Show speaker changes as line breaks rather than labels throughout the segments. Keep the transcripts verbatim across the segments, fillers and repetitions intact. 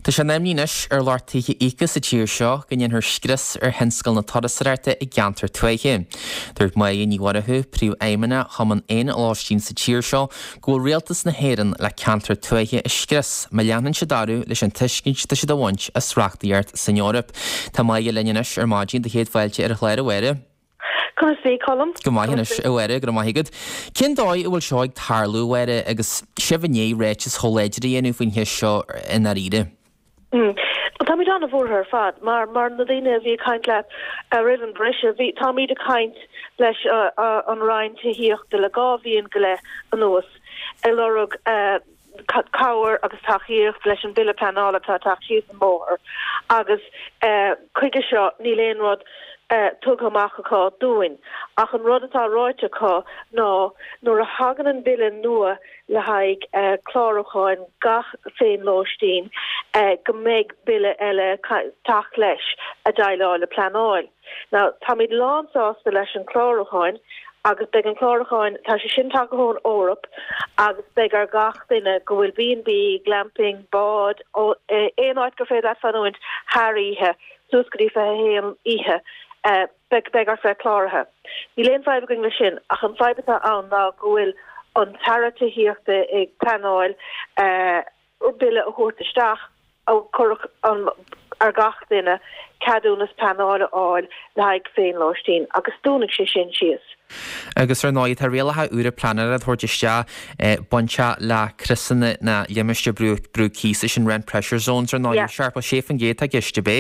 Tá sé ina imní anois ar lucht tithe a íoca sa tír seo go ndéanfar scrios ar thionscal na turasóireachta i gceantair tuaithe. Dúirt Máire Ní Mhurchú, Príomhfheidhmeannach Chumann Éan-Lóistín sa tír seo, go bhfuil rialtas na hÉireann le ceantair tuaithe a scrios má leanann siad orthu leis an tuiscint atá siad a bhaint as reachtaíocht san Eoraip. Tá Máire linn anois ar maidin do chéad fáilte ar an chlár a Mháire.
Conas tá Colm?
Go maith anois a Mháire, go raibh maith agat. Cén dóigh a bhfuil seo ag tarlú a Mháire agus sibh i ndiaidh ráiteas chomh láidir a dhéanamh faoin cheist seo i ndáiríre?
Mm. Táimid an-bhuartha ar fad mar mar na daoine a bhí ag caint leat roimh an briseadh bhí táimid ag caint leis uh, uh, an Roinn Tithíochta le dhá bhliain go leith anuas ag lorg uh, cabhair agus tacaíocht leis an bille pleanála atá ag teacht síos an bóthar agus uh, chuige seo níl aon rud uh, tugtha amach acu dúinn ach an rud atá ráite acu ná nuair a thagann an bille nua le haghaidh uh, clárúcháin gach féinlóistín uh, go mbeidh bille eile teacht leis a déileáil le pleanáil. Now táimid lánsásta leis an clárúcháin agus beidh an clárúcháin tá sé sin tagtha ón Eoraip agus beidh ar gach duine go bhfuil B&B, glamping, bád aon áit gur féidir fanúint thar oíche suas go dtí fiche haon oíche beidh beidh ort bheith cláraithe. Níl aon fadhb againn leis sin ach an fadhb atá ann ná go bhfuil an tAire Tithíochta ag pleanáil bille a thabhairt isteach a chuirfeadh an ar gach duine ceadúnas pleanála a fháil le haghaidh féinlóistín agus dúnfaidh sé sin síos.
Agus ar ndóigh tá rialacha úra pleanála a thabhairt isteach bainteach le criosanna na limistéar brú brú cíosa sin rent pressure zones ar ndóigh seachtó sé faoin gcéad tá giste bé.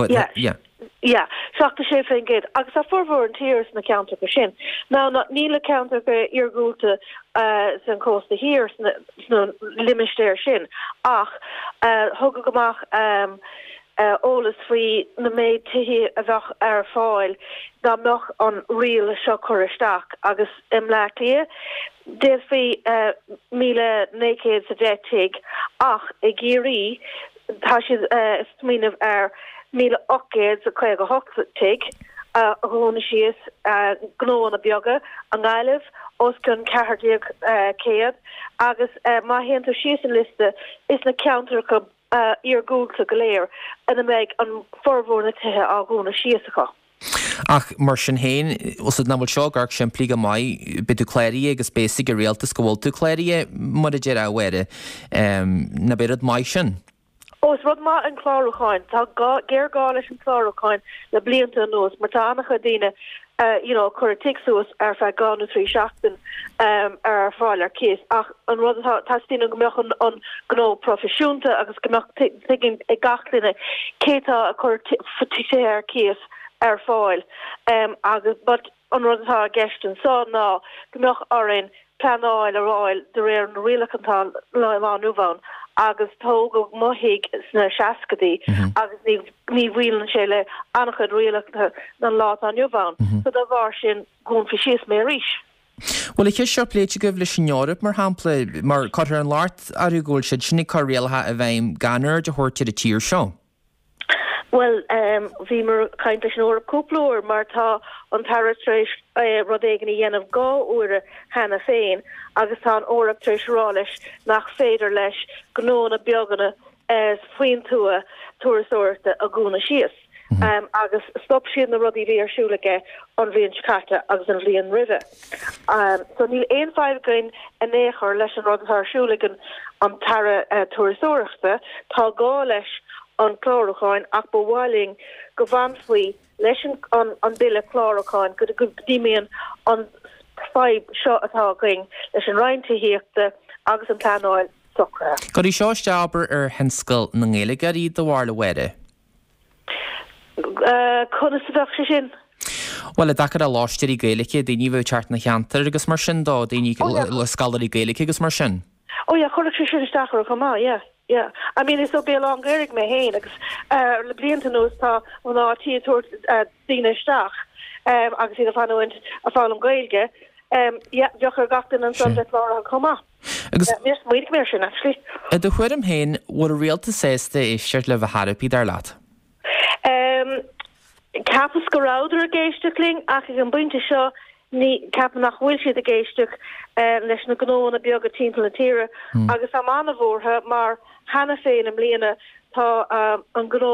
Yeah. Yeah, seachtó sé faoin gcéad agus tá formhór an tír sna ceantracha sin. Ná níl na ceantracha iargúlta uh, san cósta thiar sna limistéir sin ach uh, thugadh amach um, uh, eolas faoi na méid tithe a bheadh ar fáil dá mbeadh an riail seo curtha isteach agus i mBleá Cliath d'fhéadfaí uh, míle naoi gcéad sa deich tigh ach i gCiarraí tá siad uh, smaoineamh ar míle ocht gcéad sa caoga hocht tigh a dhúnadh síos gnóanna beaga i nGaillimh os cionn ceathair déag céad agus má théann tú síos an liosta is na ceantracha iargúlta go léir ina mbeidh an formhór na tithe á dhúnadh síos acu.
Ach mar sin féin nach bhfuil seo gar simplí go maith beidh tú cláraithe agus beidh a fhios ag an rialtas go bhfuil tú cláraithe mar a deir a Mháire nach é rud maith sin.
Ó is rud maith an clárúcháin Tá géarghá leis an clárúcháin le blianta anuas mar tá an-chuid daoine uh, you know, chur tigh suas ar feadh dhá nó trí seachtain um, ar fáil ar cíos ach an rud teastaíonn go mbeadh an, an gnó proifisiúnta agus go mbeadh tuiscint ag gach duine cé tá a chur tithe ar cíos ar fáil um, agus but an rud atá i gceist anseo ná go mbeadh orainn pleanáil a fháil de réir na rialacha atá lá nua agus tógadh mo thigh sna seascaidí agus ní ní bhfuil sé le an-chuid rialacha an lá atá inniu ann so dá bharr sin dhúnfaí síos mé arís.
Bhfuil an cheist seo pléite agaibh leis an Eoraip mar shampla mar cuirtear an locht orthu go bhfuil siad sin ag cur rialacha i bhfeidhm gan aird a thabhairt ar an tír seo.
Well um, bhíomar ag caint leis an Eoraip cúpla uair mar tá an tAire tar éis uh, rud éigin a dhéanamh dhá uair cheana féin agus tá an Eoraip tar éis rá leis nach féidir leis gnóanna beaga uh, faoin tuath turasóireachta a dhúnadh síos. Mm -hmm. um, agus stop siad na rudaí bhí ar siúl aige an bhliain seo caite agus an bhliain roimhe. Um, so níl aon fadhb againn in aon chor leis an rud atá ar siúl ag an an tAire uh, turasóireachta tá gá leis an clárúcháin ach ba mhaith linn go bhfanfaí leis an an, an bille clárúcháin go go dtí an fadhb seo atá againn leis an Roinn Tithíochta agus an pleanáil socraithe.
Go seo steabar ar thionscal na nGaeilgeoirí do bharúil a Mháire.
Uh, Conas a bheadh sé sin?
Well i dtaca le lóistíní Gaeilge daoine bh teart na cheantar agus mar sin dó daoine le scoláirí Gaeilge agus mar sin.
Ó yeah chuirfeadh sé sin isteach ar chomh maith yeah. Yeah, I mean is ó Béal Átha an Ghaorthaidh mé féin agus uh, le blianta anuas tá mná tí ag tabhairt uh, daoine isteach um, agus iad ag fanúint ag foghlaim Gaeilge. Um, yeah, bheadh ar gach duine ansan bheith cláraithe chomh maith.
Agus
Níor smaoinigh mé sin actually.
I do thuairim féin bhfuil an rialtas sásta éisteacht libh a thairpí dar leat.
Um, Cheapas go rabhadar ag éisteacht linn ach ag an bpointe seo ní ceapaim nach bhfuil siad ag éisteacht uh, leis na gnóanna beaga timpeall na tíre mm. agus tá an-bhuartha mar cheana féin i mbliana Tá an gnó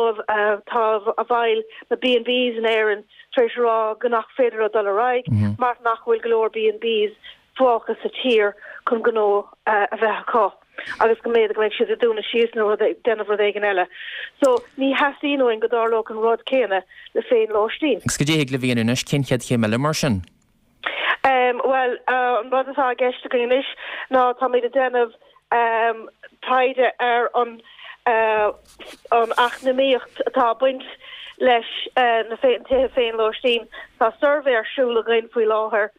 tá a bhaill na B and Bs in Éirinn tar éis rá go nach féidir dul ar aghaidh mm -hmm. mar nach bhfuil go leor B and Bs fágtha sa tír chun gnó a bheith acu agus go mbeidh go mbeidh siad ag dúnadh síos nó déanamh rud éigin eile. So ní theastaíonn uainn go dtarlódh an rud céanna le féin-lóistín.
Agus cad é le bhíon anois cén chéad chéim eile mar sin?
Um, well uh, an rud atá i gceist againn anois ná táimid ag déanamh um, taighde ar an uh, an eacnamaíocht atá baint leis uh, na tithe féin-lóistín. Tá suirbhé ar siúl againn faoi láthair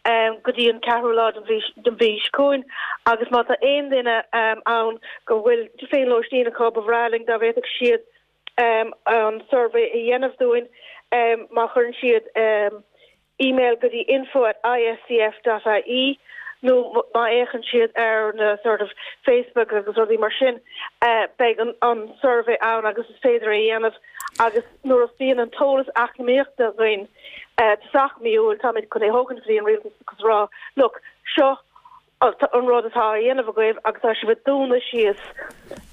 um, go dtí an ceathrú lá den mhí seo chugainn agus má tá aon duine um, ann go bhfuil féin-lóistín acu ba bhreá linn dá bhféadfadh siad um, an suirbhé a dhéanamh dúinn um, má chuireann siad um, e-mail go dtí info at I S C F dot I E nó má fhéachann siad ar na sort of Facebook agus rudaí mar sin uh, beidh an, an suirbhé ann agus is féidir é dhéanamh agus nuair a bhíonn an t-eolas eacnamaíochta againn uh, sách miúil táimid chun é thógaint go dtí an rialtas agus rá look seo an rud atá á dhéanamh agaibh agus tá sibh ag dúnadh síos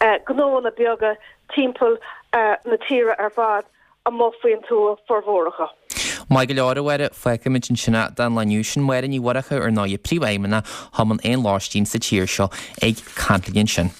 uh, gnónna beaga timpeall uh, na tíre ar fad amuigh faoin tuath formhór acu.
Maith go leor a Mháire, fágfaimid ansin é don lá inniu sin. Máire Ní Mhurchú ar ndóigh príomhfheidhmeannach Chumann Éan Lóistín sa tír seo ag caint linn ansin.